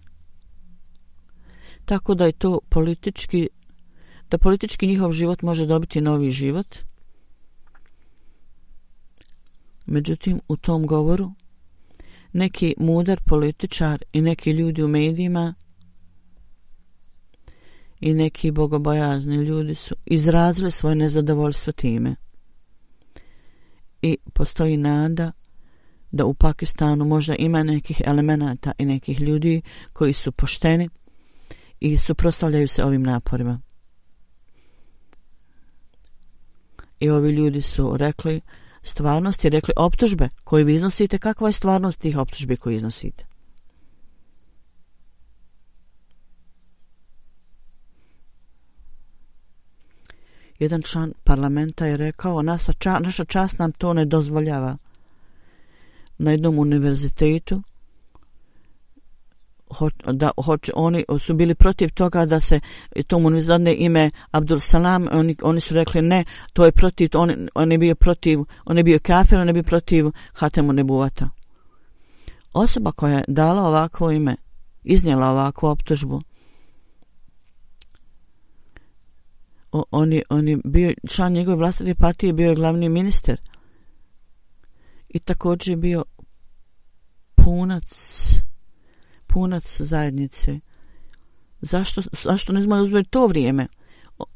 Tako da je to politički, da politički njihov život može dobiti novi život. Međutim, u tom govoru neki mudar političar i neki ljudi u medijima i neki bogobojazni ljudi su izrazili svoje nezadovoljstvo time. I postoji nada da u Pakistanu možda ima nekih elemenata i nekih ljudi koji su pošteni i suprotstavljaju se ovim naporima. I ovi ljudi su rekli stvarnost i rekli optužbe koje vi iznosite, kakva je stvarnost tih optužbi koje iznosite. Jedan član parlamenta je rekao, naša, ča, naša čast nam to ne dozvoljava. Na jednom univerzitetu ho, da hoće, oni su bili protiv toga da se tom univerzitetu ime Abdul Salam, oni, oni su rekli ne, to je protiv, on, on je bio protiv, on je bio kafir, on je bio protiv Hatemu Nebuvata. Osoba koja je dala ovakvo ime, iznijela ovakvu optužbu, on je, on je bio član njegove vlastite partije, bio je glavni ministar i također je bio punac punac zajednice. Zašto, zašto ne znamo uzeti to vrijeme?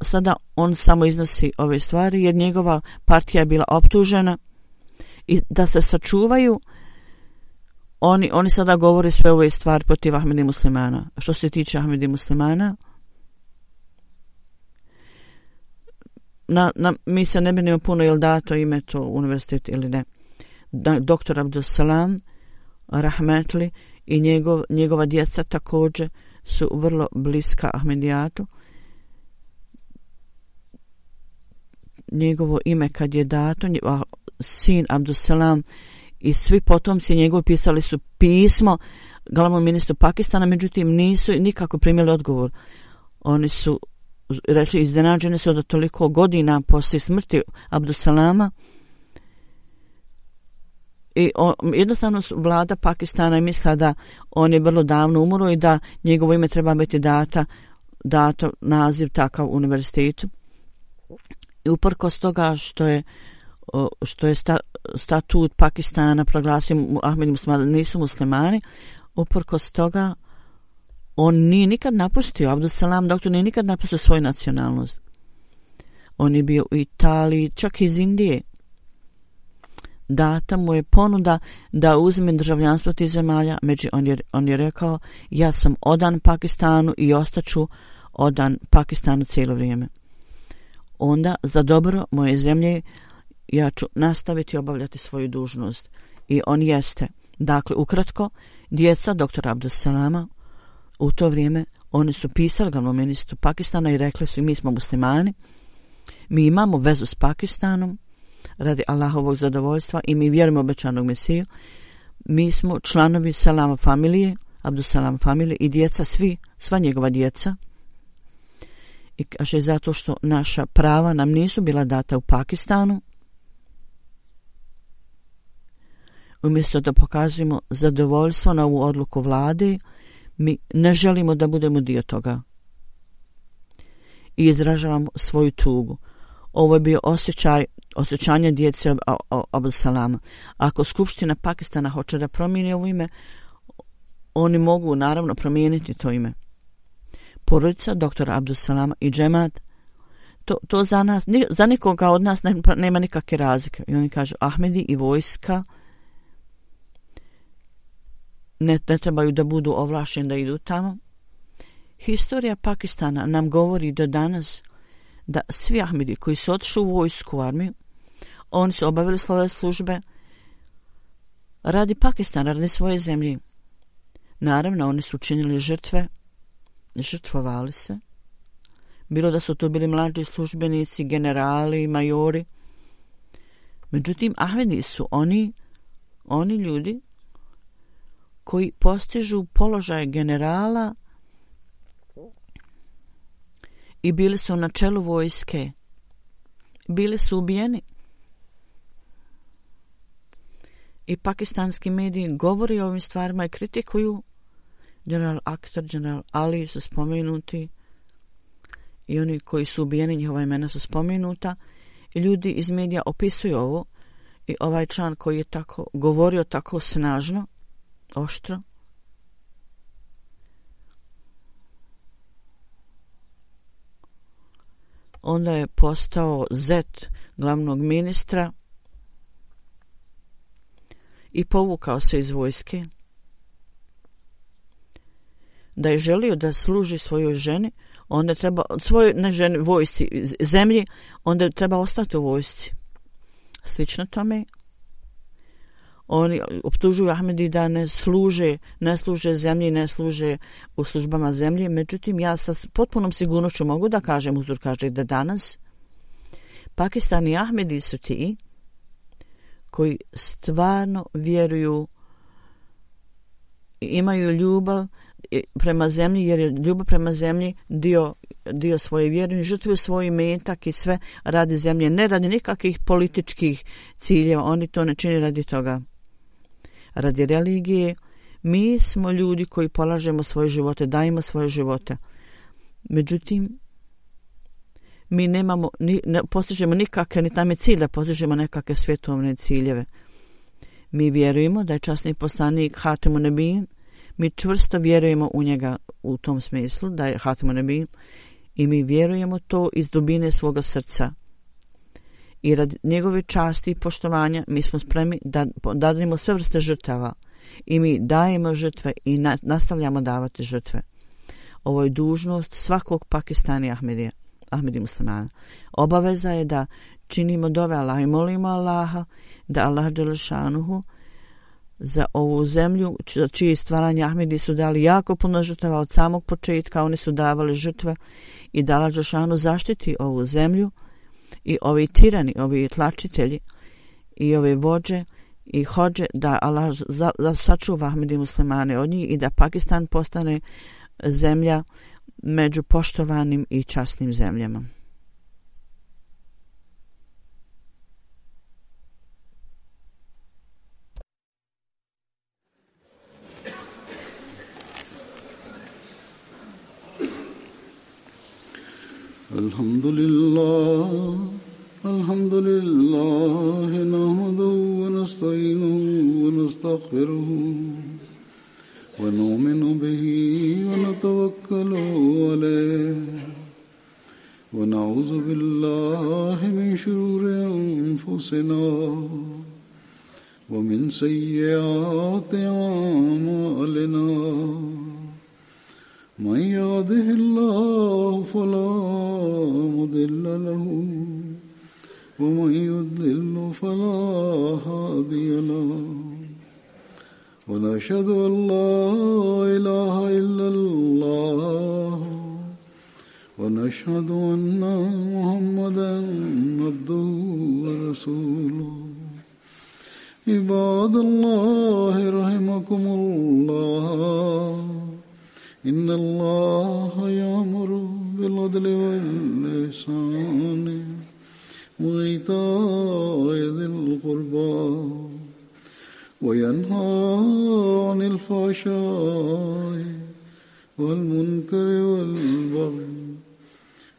Sada on samo iznosi ove stvari jer njegova partija je bila optužena i da se sačuvaju oni, oni sada govore sve ove stvari protiv Ahmedi muslimana. Što se tiče Ahmedi muslimana, Na, na, mi se ne brinemo puno je li dato ime to univerzitet ili ne. Da, doktor Abdul Salam Rahmetli i njegov, njegova djeca također su vrlo bliska Ahmedijatu. Njegovo ime kad je dato, njegov, sin Abdul Salam i svi potomci njegovi pisali su pismo glavnom ministru Pakistana, međutim nisu nikako primili odgovor. Oni su rekli, iznenađene su da toliko godina poslije smrti Abdul Salama i on, jednostavno vlada Pakistana je mislila da on je vrlo davno umro i da njegovo ime treba biti data, dato naziv takav univerzitetu. I uprkos toga što je što je sta, statut Pakistana proglasio Ahmedi muslimani nisu muslimani, uprkos toga on nije nikad napustio, Abdul Salam doktor nije nikad napustio svoju nacionalnost. On je bio u Italiji, čak iz Indije. Data mu je ponuda da uzme državljanstvo tih zemalja, među on je, on je rekao, ja sam odan Pakistanu i ostaću odan Pakistanu cijelo vrijeme. Onda, za dobro moje zemlje, ja ću nastaviti obavljati svoju dužnost. I on jeste. Dakle, ukratko, djeca doktora Abdul Salama u to vrijeme oni su pisali glavnom ministru Pakistana i rekli su mi smo muslimani, mi imamo vezu s Pakistanom radi Allahovog zadovoljstva i mi vjerujemo obećanog Mesiju, mi smo članovi Salama familije, Abdul Salam familije i djeca svi, sva njegova djeca. I kaže zato što naša prava nam nisu bila data u Pakistanu, umjesto da pokazujemo zadovoljstvo na ovu odluku vlade, mi ne želimo da budemo dio toga. I izražavamo svoju tugu. Ovo je bio osjećaj, osjećanje djece Abdul Salama. Ako Skupština Pakistana hoće da promijeni ovo ime, oni mogu naravno promijeniti to ime. Porodica doktora Abdul Salama i džemat, to, to za nas, za nikoga od nas nema nikakve razlike. I oni kažu Ahmedi i vojska ne, ne trebaju da budu ovlašteni da idu tamo Historija Pakistana nam govori do danas da svi Ahmedi koji su otišli u vojsku, u armiju, oni su obavili svoje službe radi Pakistana, radi svoje zemlje. Naravno, oni su učinili žrtve, žrtvovali se. Bilo da su to bili mlađi službenici, generali, majori. Međutim, Ahmedi su oni, oni ljudi koji postižu položaj generala i bili su na čelu vojske. Bili su ubijeni. I pakistanski mediji govori o ovim stvarima i kritikuju. General Akhtar, general Ali su spomenuti i oni koji su ubijeni, njihova imena su spomenuta i ljudi iz medija opisuju ovo i ovaj član koji je tako govorio tako snažno, oštro, onda je postao zet glavnog ministra i povukao se iz vojske. Da je želio da služi svojoj ženi, onda treba, svojoj ne ženi, vojsci, zemlji, onda treba ostati u vojsci. Slično tome, oni optužuju Ahmedi da ne služe, ne služe zemlji, ne služe u službama zemlje. Međutim, ja sa potpunom sigurnošću mogu da kažem, Huzur kaže da danas Pakistan i Ahmedi su ti koji stvarno vjeruju, imaju ljubav prema zemlji, jer je ljubav prema zemlji dio, dio svoje vjere, žrtvuju svoj metak i sve radi zemlje, ne radi nikakvih političkih ciljeva, oni to ne čini radi toga. Radi religije, mi smo ljudi koji polažemo svoje živote, dajemo svoje živote. Međutim, mi nemamo, ni, ne postižemo nikakve, ni tam je cilj da postižemo nekakve svjetovne ciljeve. Mi vjerujemo da je časni poslanik Hatimun Nebijin, mi čvrsto vjerujemo u njega u tom smislu, da je Hatimun Nebijin, i mi vjerujemo to iz dubine svoga srca. I rad njegove časti i poštovanja mi smo spremni da dadimo sve vrste žrtava i mi dajemo žrtve i na, nastavljamo davati žrtve. Ovo je dužnost svakog Pakistana i Ahmedija, Ahmedi muslimana. Obaveza je da činimo dove Allah i molimo Allaha da Allah dželešanuhu za ovu zemlju, čiji stvaranje Ahmedi su dali jako puno žrtava od samog početka, oni su davali žrtve i da Allah dželešanuhu zaštiti ovu zemlju i ovi tirani, ovi tlačitelji i ove vođe i hođe, da Allah za, za sačuva Ahmedi muslimane od njih i da Pakistan postane zemlja među poštovanim i časnim zemljama. Alhamdulillah, alhamdulillah, nahmaduhu wa nasta'inuhu wa nastaghfiruhu wa nu'minu bihi wa natawakkalu alayhi wa na'udhu billahi min shururi anfusina wa min sayyiati a'malina. من يهده الله فلا مضل له ومن يضلل فلا هادي له ونشهد أن لا إله إلا الله ونشهد أن محمدا عبده ورسوله. عباد الله رحمكم الله، إن الله يأمر بالعدل والإحسان وإيتاء ذي القربى وينهى عن الفحشاء والمنكر والبغي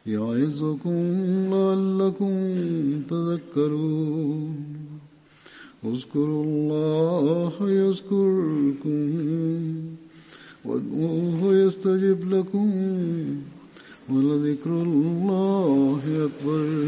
يعظكم لعلكم تذكرون. اذكروا الله يذكركم وادعوه يستجب لكم ولذكر الله أكبر.